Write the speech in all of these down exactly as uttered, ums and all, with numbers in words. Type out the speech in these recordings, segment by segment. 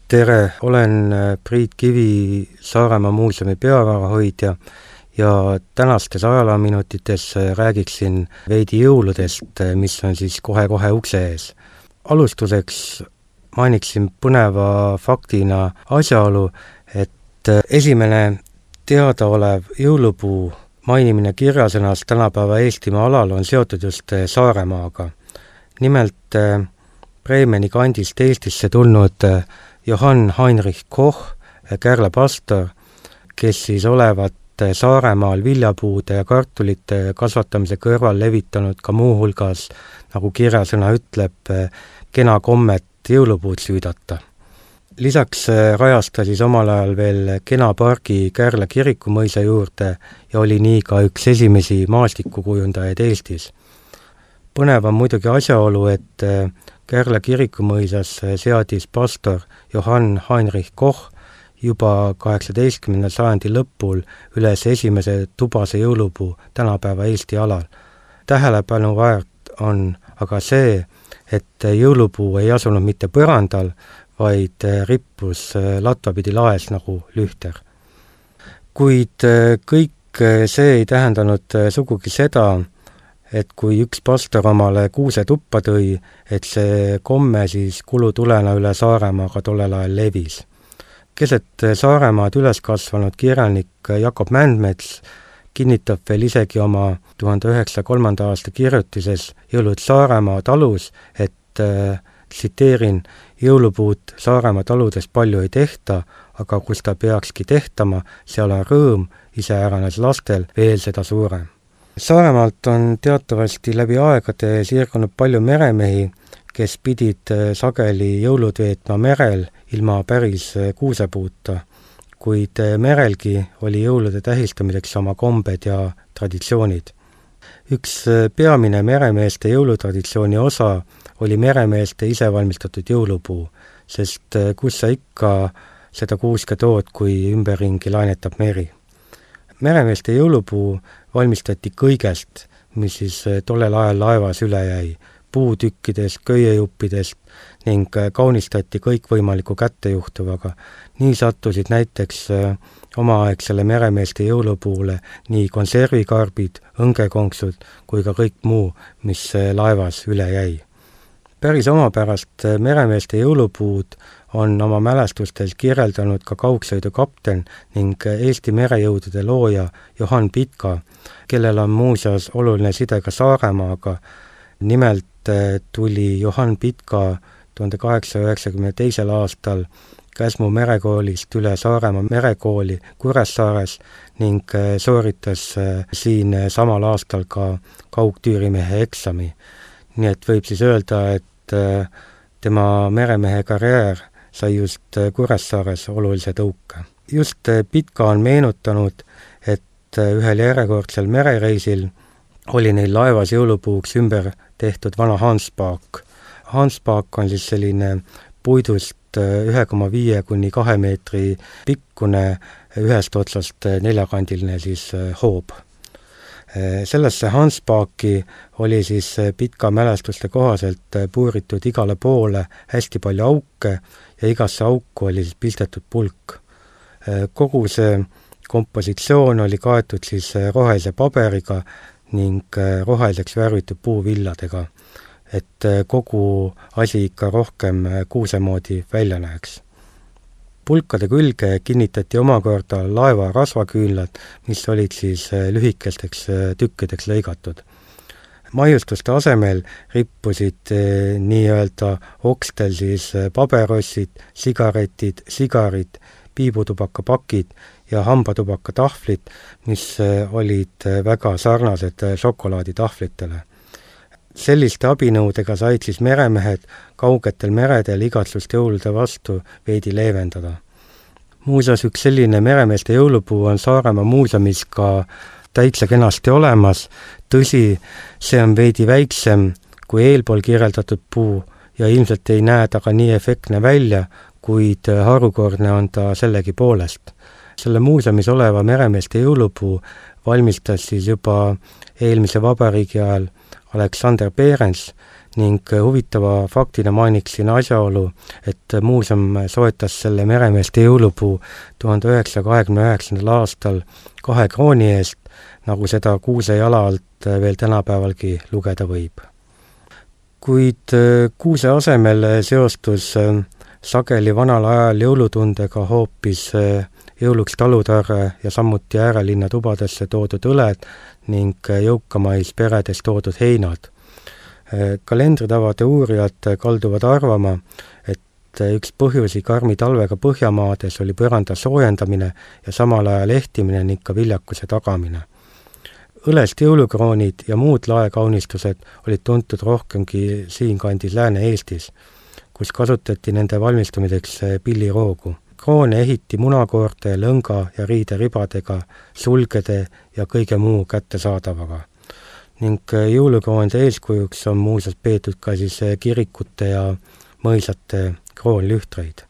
Tere, olen Priit Kivi, Saaremaa muuseumi peavarahoidja ja tänastes ajaloominutites räägiksin veidi jõuludest, mis on siis kohe-kohe ukse ees. Alustuseks mainiksin põneva faktina asjaolu, et esimene teadaolev jõulupuu mainimine kirjasõnas tänapäeva Eestimaa alal on seotud just Saaremaaga. Nimelt Bremeni kandist Eestisse tulnud Johann Heinrich Koch, Kärla pastor, kes siis olevat Saaremaal viljapuude ja kartulite kasvatamise kõrval levitanud ka muuhulgas, nagu kirjasõna ütleb, kena kommet jõulupuud süüdata. Lisaks rajas ta siis omal ajal veel kena pargi Kärla kirikumõisa juurde ja oli nii ka üks esimesi maastikukujundajaid Eestis. Põnev on muidugi asjaolu, et Kärla kirikumõisas seadis pastor Johann Heinrich Koch juba kaheksateistkümnenda sajandi lõpul üles esimese tubase jõulupuu tänapäeva Eesti alal. Tähelepanu väärt on aga see, et jõulupuu ei asunud mitte põrandal, vaid rippus latvapidi laes nagu lühter. Kuid kõik see ei tähendanud sugugi seda, et kui üks pastor omale kuuse tuppa tõi, et see komme siis kulutulena üle Saaremaaga tollel ajal levis. Keset Saaremaad üles kasvanud kirjanik Jakob Mändmets kinnitab veel isegi oma tuhande üheksasaja kolmanda aasta kirjutises Jõulud Saaremaa talus, et äh, tsiteerin, jõulupuud Saaremaa taludes palju ei tehta, aga kus ta peakski tehtama, seal on rõõm, iseäranes lastel veel seda suurem. Saaremaalt on teatavasti läbi aegade siirgunud palju meremehi, kes pidid sageli jõulud veetma merel ilma päris kuusepuuta, kuid merelgi oli jõulude tähistamiseks oma kombed ja traditsioonid. Üks peamine meremeeste jõulutraditsiooni osa oli meremeeste isevalmistatud jõulupuu, sest kus sa ikka seda kuuske tood, kui ümberringi lainetab meri. Meremeeste jõulupuu valmistati kõigest, mis siis tollel ajal laevas üle jäi, puutükkidest, köiejuppidest ning kaunistati kõikvõimaliku kättejuhtuvaga. Nii sattusid näiteks omaaegsele meremeeste jõulupuule nii konservikarbid, õngekonksud kui ka kõik muu, mis laevas üle jäi. Päris omapärast meremeeste jõulupuud on oma mälestustes kirjeldanud ka kaugsõidu kapten ning Eesti merejõudude looja Johann Pitka, kellel on muuseas oluline side ka Saaremaaga. Nimelt tuli Johann Pitka tuhande kaheksasaja üheksakümne teisel aastal Käsmu merekoolist üle Saaremaa merekooli Kuressaares ning sooritas siin samal aastal ka kaugtüürimehe eksami. Nii et võib siis öelda, et tema meremehe karjäär sai just Kuressaares olulise tõuke. Just Pitka on meenutanud, et ühel järjekordsel merereisil oli neil laevas jõulupuuks ümber tehtud vana hanspaak. Hanspaak on siis selline puidust ühe koma viie kuni kahe meetri pikkune ühest otsast neljakandiline siis hoob. Sellesse hanspaaki oli siis Pitka mälestuste kohaselt puuritud igale poole hästi palju auke ja igasse auku oli siis pistetud pulk. Kogu see kompositsioon oli kaetud siis rohelise paberiga ning roheliseks värvitud puuvilladega, et kogu asi ikka rohkem kuuse moodi välja näeks. Pulkade külge kinnitati omakorda laeva rasvaküünlad, mis olid siis lühikesteks tükkideks lõigatud. Maiustuste asemel rippusid nii-öelda okstel siis paberossid, sigaretid, sigarid, piibutubakapakid ja hambatubakatahvlid, mis olid väga sarnased šokolaaditahvlitele. Selliste abinõudega said siis meremehed kaugetel meredel igatsust jõulude vastu veidi leevendada. Muuseas, üks selline meremeeste jõulupuu on Saaremaa muuseumis ka täitsa kenasti olemas. Tõsi, see on veidi väiksem kui eelpool kirjeldatud puu ja ilmselt ei näe ta ka nii efektne välja, kuid harukordne on ta sellegi poolest. Selle muuseumis oleva meremeeste jõulupuu valmistas siis juba eelmise vabariigi ajal Aleksander Behrens ning huvitava faktina mainiksin asjaolu, et muuseum soetas selle meremeeste jõulupuu tuhande üheksasaja kahekümne üheksandal aastal kahe krooni eest, nagu seda kuuse jala alt veel tänapäevalgi lugeda võib. Kuid kuuse asemel seostus sageli vanal ajal jõulutundega hoopis jõuluks talutarre ja samuti äärelinna tubadesse toodud õled ning jõukamais peredes toodud heinad. Kalendritavade uurijad kalduvad arvama, et üks põhjusi karmi talvega Põhjamaades oli põranda soojendamine ja samal ajal ehtimine ning ka viljakuse tagamine. Õlest jõulukroonid ja muud laekaunistused olid tuntud rohkemgi siinkandis Lääne-Eestis, kus kasutati nende valmistamiseks pilliroogu. Kroone ehiti munakoorte, lõnga ja riideribadega, sulgede ja kõige muu kättesaadavaga. Ning jõulukroonide eeskujuks on muuseas peetud ka siis kirikute ja mõisate kroonlühtreid.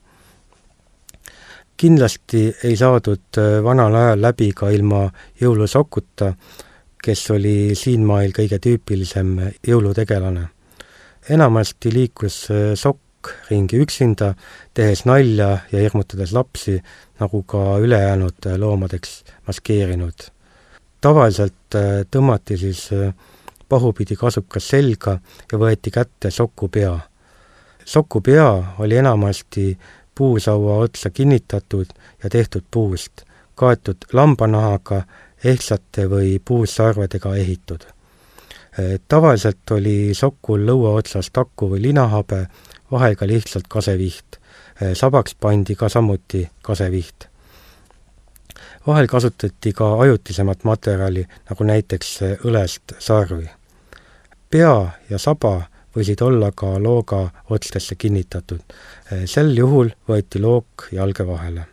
Kindlasti ei saadud vanal ajal läbi ka ilma jõulusokuta, kes oli siinmail kõige tüüpilisem jõulutegelane. Enamasti liikus sokk ringi üksinda, tehes nalja ja hirmutades lapsi, nagu ka ülejäänud loomadeks maskeerinud. Tavaliselt tõmmati siis pahupidi kasukas selga ja võeti kätte soku pea. Soku pea oli enamasti puusaua otsa kinnitatud ja tehtud puust, kaetud lambanahaga, ehtsate või puussarvedega ehitud. Tavaliselt oli sokul lõua otsas taku või linahabe, vahel ka lihtsalt kaseviht. Sabaks pandi ka samuti kaseviht. Vahel kasutati ka ajutisemat materjali, nagu näiteks õlest sarvi. Pea ja saba võisid olla ka looga otstesse kinnitatud. Sel juhul võeti look jalge vahele.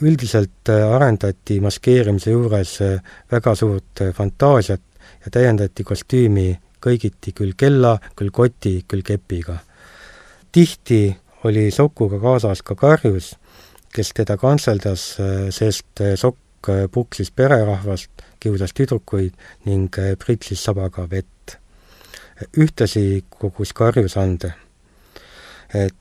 Üldiselt arendati maskeerimise juures väga suurt fantaasiat ja täiendati kostüümi kõigiti küll kella, küll koti, küll kepiga. Tihti oli sokuga kaasas ka karjus, kes teda kantseldas, sest sokk puksis pererahvast, kiusas tüdrukuid ning pritsis sabaga vett. Ühtlasi kogus karjusande.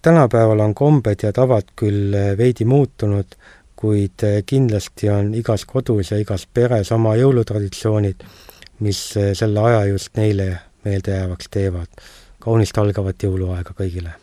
Tänapäeval on kombed ja tavad küll veidi muutunud, kuid kindlasti on igas kodus ja igas peres oma jõulutraditsioonid, mis selle aja just neile meeldejäävaks teevad. Kaunist algavat jõuluaega kõigile!